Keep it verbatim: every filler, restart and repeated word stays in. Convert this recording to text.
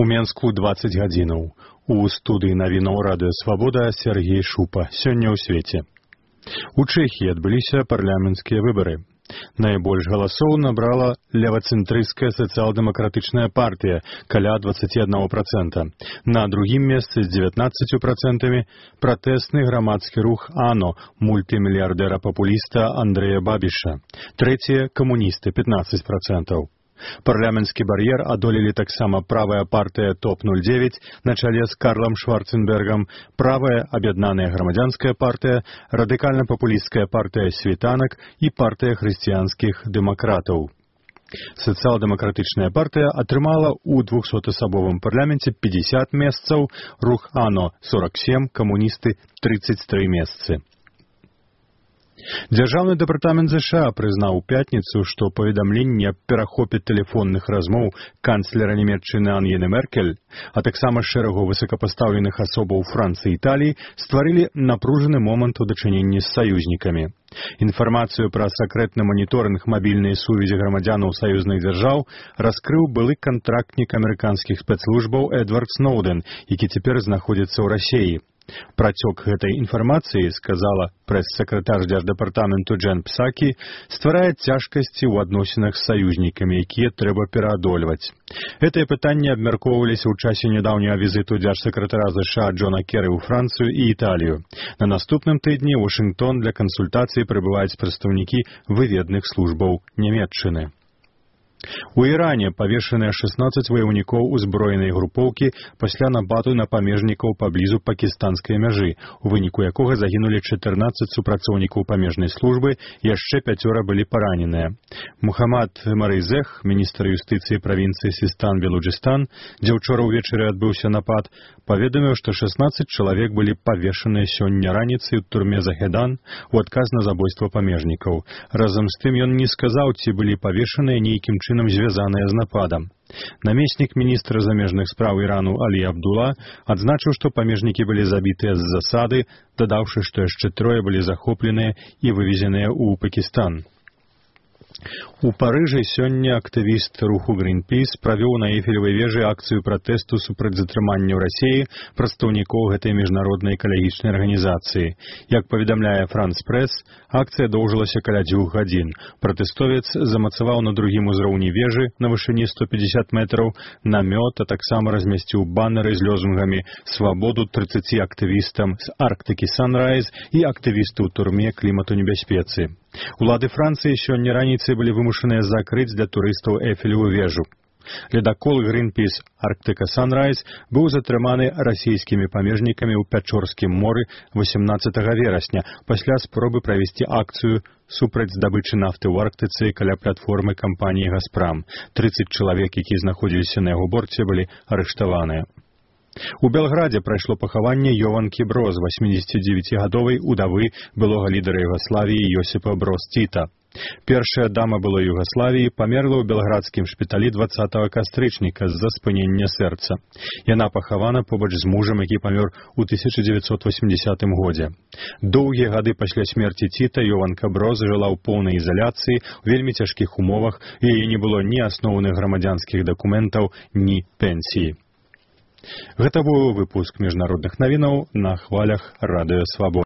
У Менску дваццаць гадзінаў. У студыі навінаў радыё «Свабода» Сергей Шупа. Сёння ў свеце. У Чэхіі адбыліся парламенцкія выбары. Найбольш галасоў набрала левацэнтрысцкая сацыял-дэмакратычная партыя, каля дваццаць адзін працэнт. На другім месцы з дзевятнаццаццю працэнтамі пратэсны грамадскі рух АНО мультымільярдэра-папуліста Андрэя Бабіша. Трэцяе – камуністы – пятнаццаць працэнтаў. Парламенцкі бар'ер адолелі таксама правая партыя топ нуль дзевяць на чале з Карлам Шварценбергам, правая аб'яднаная грамадзянская партыя, радыкальна-папулісцкая партыя світанак і партыя хрысціянскіх дэмакратаў. Сацыял-дэмакратычная партыя атрымала ў двухсотасабовым парламенце пятьдесят месцаў, рух АНО сорок семь, камуністы тридцать три месцы. Дзяржаўны дэпартамент ЗША прызнаў у пятніцу, што паведамленні аб перахопе тэлефонных размоў канцлера Нямецчыны Ангелы Меркель, а таксама шэрагу высокапастаўленых асобаў Францыі і Італіі стварылі напружаны момант у дачыненні з саюзнікамі. Інфармацыю пра сакрэтны маніторынг мабільнай сувязі грамадзянаў саюзных дзяржаў раскрыў былы кантрактнік амерыканскіх спецслужбаў Эдвард Сноуден, які цяпер знаходзіцца ў Расіі. Працёк гэтай інфармацыі, сказала прэс-сакратар дзярждэпартаменту Джен Псакі, стварае цяжкасці ў адносінах з саюзнікамі, якія трэба пераадольваць. Гэтыя пытанні абмяркоўваліся ў часе нядаўняга візіту дзяржсакратара ЗША Джона Керры ў Францыю і Італію. На наступным тыдні ў Вашынгтон для кансультацый прыбываюць прадстаўнікі выведных службаў Нямецчыны. У Іране павешаныя шестнадцать ваяўнікоў узброенай групоўкі пасля нападу на памежнікаў паблізу пакістанскай мяжы, у выніку якога загінулі чатырнаццаць супрацоўнікаў памежнай службы, яшчэ пяцёра былі параненыя. Мухаммад Марызех, міністр юстыцыі правінцыі Систан-Белуджыстан, дзе ўчора ўвечары адбыўся напад, паведаміў, што шестнадцать чалавек былі павешаныя сёння раніцай у турме Захедан у адказ на забойства памежнікаў. Разам з тым ён не сказаў, ці былі павешаныя нейкім чынам звязаныя з нападам. Намеснік міністра замежных спраў Ірану Алі Абдула адзначыў, што памежнікі былі забітыя з засады, дадаўшы, што яшчэ трое былі захопленыя і вывезеныя ў Пакістан. У Парыжы сёння актывіст руху Greenpeace правёў на Эйфелевай вежы акцыю пратэсту супраць затрымання ў Расіі прадстаўнікоў гэтай міжнароднай экалагічнай арганізацыі. Як паведамляе Франс Прэс, акцыя доўжылася каля дзвюх гадзін. Пратэстовец замацаваў на другім узроўні вежы на вышыні сто пятьдесят метраў намёт, а таксама размясціў баннеры з лозунгамі «Свабоду трыццаці актывістам з Арктыкі Санрайз» і актывісту ў турме клімату небяспецы. Улады Францыі сёння раніцай былі вымушаныя закрыць для турыстаў Эйфелеву вежу. Ледакол Greenpeace Арктыка Санрайз быў затрыманы расійскімі памежнікамі ў Пячорскім моры восемнадцатага верасня пасля спробы правесці акцыю супраць здабычы нафты ў Арктыцы каля платформы кампаніі «Газпрам». трыццаць чалавек, якія знаходзіліся на яго борце, былі арыштаваныя. У Белградзе прайшло пахаванне Йованкі Броз, восьмідзесятидзевяцігадовай удавы былога лідара Югаславіі Йосіпа Броз Тіта. Першая дама былой Югаславіі памерла ў белградскім шпіталі дваццатага кастрычніка з-за спынення сэрца. Яна пахавана побач з мужам, які памёр у тысяча дзевяцьсот восьмідзесятым годзе. Доўгія гады пасля смерці Тіта Йованка Броз жыла ў поўнай изаляцыі, у вельмі цяжкіх умовах, і яе не было ні асноўных грамадзянскіх дакументаў, ні пенсіі. Гэта быў выпуск міжнародных навінаў на хвалях радыё «Свабода».